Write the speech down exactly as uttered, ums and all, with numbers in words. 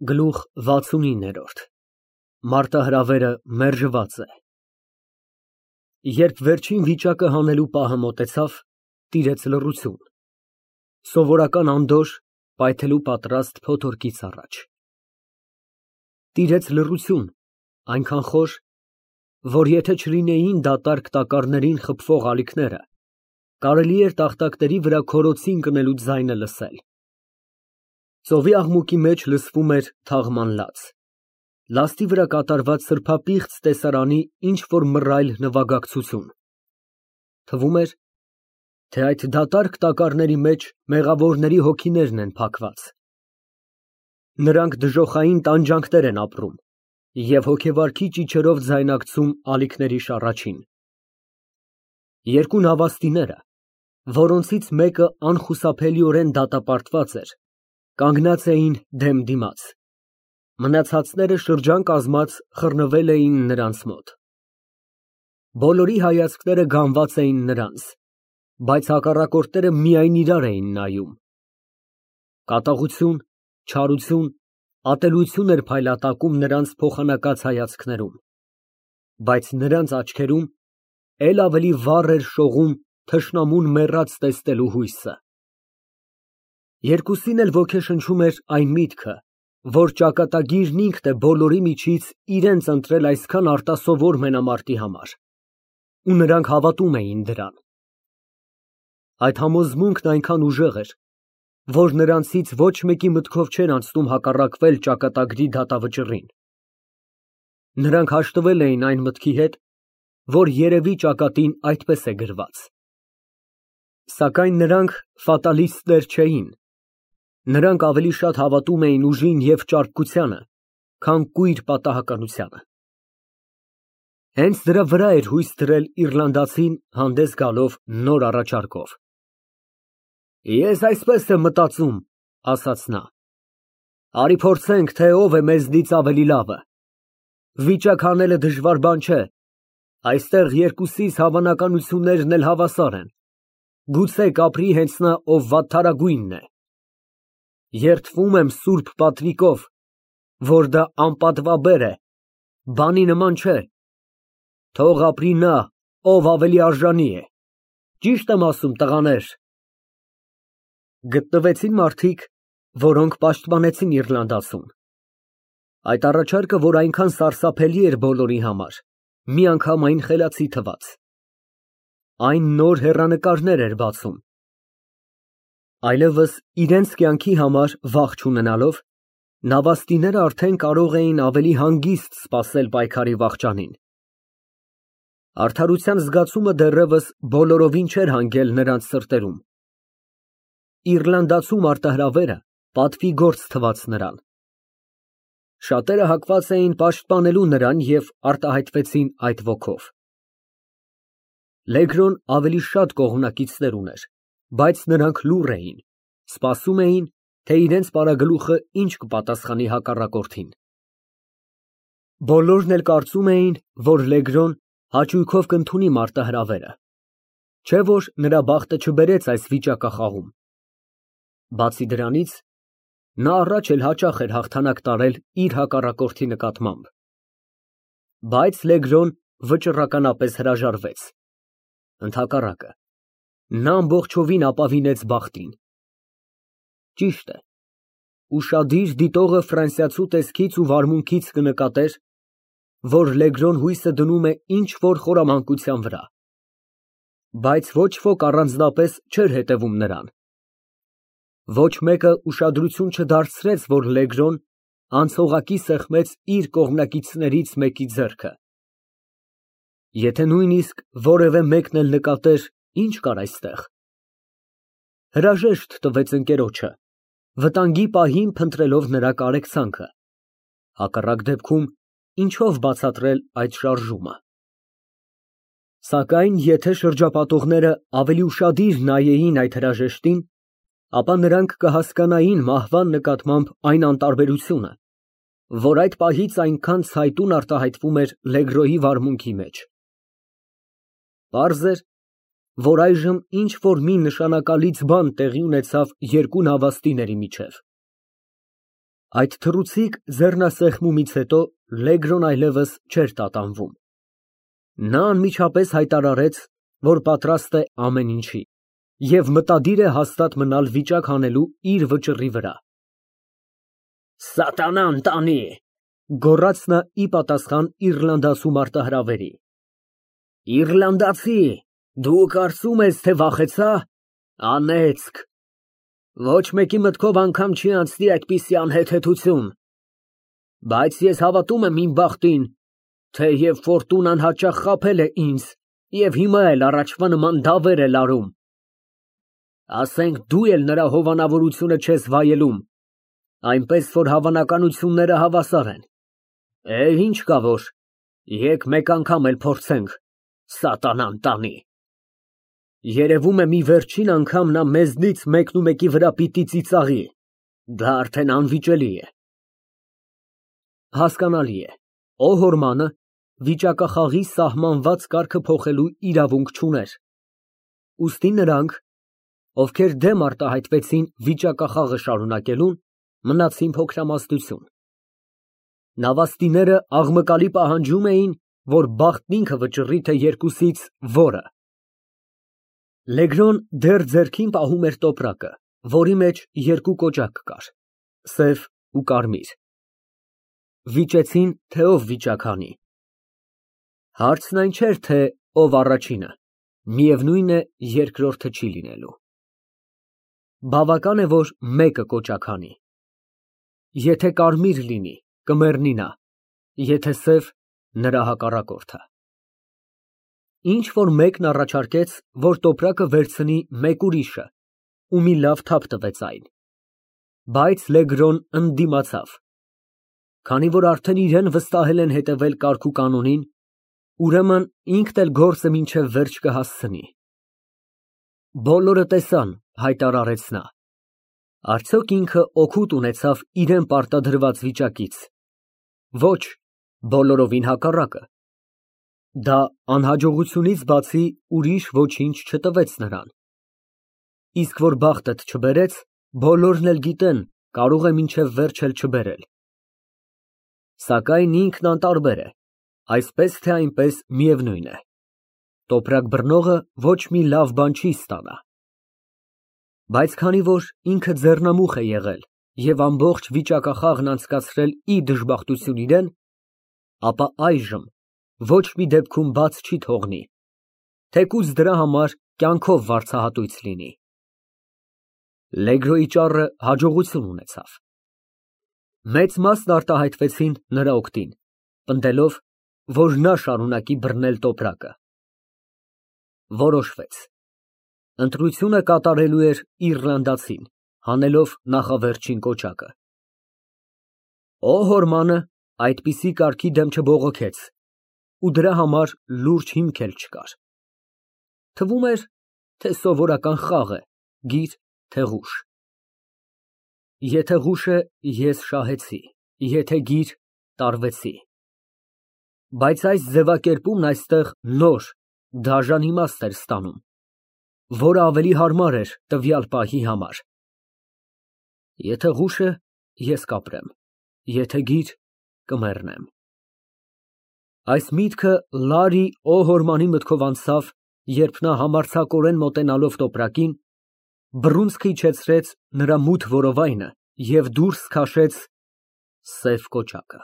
Գլուխ վաթսունինը Մարտահրավերը մերժված է։ Երբ վերջին վիճակը հանելու պահը մոտեցավ, տիրեց լռություն, սովորական անդորր, պայթելու պատրաստ փոթորկից առաջ։ Տիրեց լռություն, այնքան խոր, որ եթե չլինեին դատարկ տակառներին խփվող ալիքները, կարելի էր տախտակների վրա քորոցի ընկնելու ձայնը լսել։ Ծովի աղմուկի մեջ լսվում էր թաղման լաց, լաստի վրա կատարված սրբապիղծ տեսարանի ինչ֊որ մռայլ նվագակցություն։ Թվում էր, թե այդ դատարկ տակառների մեջ մեղավորների հոգիներն են փակված։ Նրանք դժոխային տանջանքներ են ապրում և հոգեվարքի ճիչերով ձայնակցում ալիքների շառաչին։ Երկու նավաստիները, որոնցից մեկը անխուսափելիորեն դատապարտված էր, կանգնած էին դեմ դիմաց, մնացածները շրջան կազմած խռնվել էին նրանց մոտ։ Բոլորի հայացքները գանված էին նրանց, բայց հակառակորդները միայն իրար էին նայում։ Կատաղություն, չարություն, ատելություն էր փայլատակում նրանց փոխանակած հայացքներում, բայց նրանց աչքերում էլ ավելի վառ էր շողում թշնամուն մեռած տեսնելու հույսը։ Երկուսին էլ ոգեշնչում էր այն միտքը, որ ճակատագիրն ինքն է բոլորի միջից իրենց ընտրել այսքան արտասովոր մենամարտի համար, ու նրանք հավատում էին դրան։ Այդ համոզմունքն այնքան ուժեղ էր, որ նրանցից ոչ մեկի մտքով չէր անցնում հակառակվել ճակատագրի դատավճռին։ Նրանք հաշտվել էին այն մտքի հետ, որ երևի ճակատին այդպես է գրված։ Սակայն նրանք ֆատալիստներ չէին, նրանք ավելի շատ հավատում էին ուժին և ճարպկությանը, քան կույր պատահականությանը։ Հենց դրա վրա էր հույս դրել իռլանդացին հանդես գալով նոր առաջարկով։ Ես այսպես եմ մտածում, ասաց նա. արի փորձենք, թե ով է մեզնից ավելի լավը։ Վիճակ հանելը դժվար բան չէ, այստեղ երկուսիս հավանականություններն էլ հավասար են, գուցե կապրի հենց նա, ով վատթարագույնն է։ Երդվում եմ սուրբ պատրիկով, որ դա անպատվաբեր է, բանի նման չէ, թող ապրի նա, ով ավելի արժանի է, ճիշտ եմ ասում, տղաներ։ Գտնվեցին մարդիկ, որոնք պաշտպանեցին իռլանդացուն։ Այդ առաջարկը, որ այնքան սարսափելի էր բոլորի համար, միանգամայն խելացի թվաց։ Այն նոր հեռանկարներ էր բացում։ Այլևս իրենց կյանքի համար վախ չունենալով, նավաստիները արդեն կարող էին ավելի հանգիստ սպասել պայքարի վախճանին։ Արդարության զգացումը դեռևս բոլորովին չէր հանգել նրանց սրտերում։ Իռլանդացու մարտահրավերը պատվի գործ թվաց նրան։ Շատերը հակված էին պաշտպանելու նրան և արտահայտվեցին այդ ոգով։ Լեգրոն ավելի շատ կողմնակիցներ ուներ, բայց նրանք լուռ էին, սպասում էին, թե իրենց պարագլուխը ինչ կպատասխանի հակառակորդին։ Բոլորն էլ կարծում էին, որ Լեգրոն հաճույքով կընդունի մարտահրավերը, չէ՞ որ նրա բախտը չբերեց այս վիճակախաղում։ Բացի դրանից, նա առաջ էլ հաճախ էր հաղթանակ տարել իր հակառակորդի նկատմամբ։ Բայց Լեգրոն վճռականապես հրաժարվեց։ Ընդհակառակը, նա ամբողջովին ապավինեց բախտին։ Ճիշտ է, ուշադիր դիտողը ֆրանսիացու տեսքից ու վարմունքից կնկատեր, որ Լեգրոն հույսը դնում է ինչ֊որ խորամանկության վրա, բայց ոչ ոք առանձնապես չէր հետևում նրան։ Ոչ մեկը ուշադրություն չդարձրեց, որ Լեգրոն անցողակի սեղմեց իր կողմնակիցներից մեկի ձեռքը։ Եթե նույնիսկ որևէ մեկն էլ նկատեր, ինչ կար այստեղ, հրաժեշտ տվեց ընկերոջը, վտանգի պահին փնտրելով նրա կարեկցանքը, հակառակ դեպքում ինչով բացատրել այդ շարժումը։ Սակայն եթե շրջապատողները ավելի ուշադիր նայեին այդ հրաժեշտին, ապա նրանք կհասկանային մահվան նկատմամբ այն անտարբերությունը, որ այդ պահից այնքան ցայտուն արտահայտվում էր Լեգրոյի վարմունքի մեջ։ Պարզ էր, որ այժմ ինչ֊որ մի նշանակալից բան տեղի ունեցավ երկու նավաստիների միջև։ Այդ թռուցիկ ձեռնասեղմումից հետո Լեգրոն այլևս չէր տատանվում։ Նա անմիջապես հայտարարեց, որ պատրաստ է ամեն ինչի և մտադիր է հաստատ մնալ վիճակ հանելու իր վճռի վրա։ «Սատանան տանի», ֊ գոռաց նա ի պատասխան իռլանդացու մարտահրավերի։ «Իռլանդացի, դու կարծում ես, թե վախեցա։ Անեծք, ոչ մեկի մտքով անգամ չի անցնի այդպիսի անհեթեթություն։ Բայց ես հավատում եմ իմ բախտին, թեև ֆորտունան հաճախ խաբել է ինձ և հիմա էլ առաջվա նման դավեր է լարում։ Ասենք դու էլ նրա հովանավորությունը չես վայելում, այնպես որ հավանականությունները հավասար են։ Է, ինչ կա որ, եկ մեկ անգամ էլ փորձենք, սատանան տանի։ Երևում է մի վերջին անգամ նա մեզնից մեկնումեկի վրա պիտի ծիծաղի, դա արդեն անվիճելի է»։ Հասկանալի է, Օհորմանը վիճակախաղի սահմանված կարգը փոխելու իրավունք չուներ, ուստի նրանք, ովքեր դեմ արտահայտվեցին վիճակախաղը շարունակելուն, մնացին փոքրամասնություն։ Նավաստիները աղմկալի պահանջում էին, որ բախտն ինքը վճռի, թե երկուսից որը։ Լեգրոն դեռ ձեռքին պահում էր տոպրակը, որի մեջ երկու կոճակ կար, սև ու կարմիր։ Վիճեցին, թե ով վիճակ հանի։ Հարցն այն չէր, թե ով առաջինը, միևնույն է, երկրորդը չի լինելու։ Բավական է, որ մեկը կոճակ հանի։ Եթե կարմիր լինի, կմեռնի նա, եթե սև, նրա հակառակորդը։ Ինչ որ մեկն առաջարկեց, որ տոպրակը վերցնի մեկ ուրիշը, ու մի լավ թափ տվեց այն։ Բայց Լեգրոն ընդդիմացավ։ Քանի որ արդեն իրեն վստահել են հետևել կարգուկանոնին, ուրեմն ինքն էլ գործը մինչև վերջ կհասցնի։ Բոլորը տեսան, հայտարարեց նա։ Արդյոք ինքը օգուտ ունեցավ իրան պարտադրված վիճակից։ Ոչ, բոլորովին հակառակը։ Դա անհաջողությունից բացի ուրիշ ոչինչ չտվեց նրան։ Իսկ որ բախտդ չբերեց, բոլորն էլ գիտեն, կարող է մինչև վերջ էլ չբերել։ Սակայն ինքն անտարբեր է, այսպես թե այնպես միևնույն է։ Տոպրակ բռնողը ոչ մի լավ բան չի ստանա։ Բայց քանի որ ինքը ձեռնամուխ է եղել և ամբողջ վիճակախաղն անցկացրել ի դժբախտություն իրան, ապա այժմ ոչ մի դեպքում բաց չի թողնի, թեկուզ դրա համար կյանքով վարձահատույց լինի։ Լեգրոյի ճառը հաջողություն ունեցավ։ Մեծ մասն արտահայտվեցին նրա օգտին, պնդելով, որ նա շարունակի բռնել տոպրակը։ Որոշվեց. ընտրությունը կատարելու էր իռլանդացին, հանելով նախավերջին կոճակը։ Օհորմանը այդպիսի կարգի դեմ չբողոքեց ու դրա համար լուրջ հիմք էլ չկար։ Թվում էր, թե սովորական խաղ է, գիր, թե ղուշ։ Եթե ղուշ է, ես շահեցի, եթե գիր, տարվեցի։ Բայց այս ձևակերպումն այստեղ նոր, դաժան իմաստ էր ստանում, որը ավելի հարմար էր տվյալ պահի համար։ Եթե ղուշ է, ես կապրեմ, եթե գիր, կմեռնեմ։ Այս միտքը Լարի Օհորմանի մտքով անցավ, երբ նա համարձակորեն մոտենալով տոպրակին, բռունցքը իջեցրեց նրա մութ որովայնը և դուրս քաշեց սև կոճակը։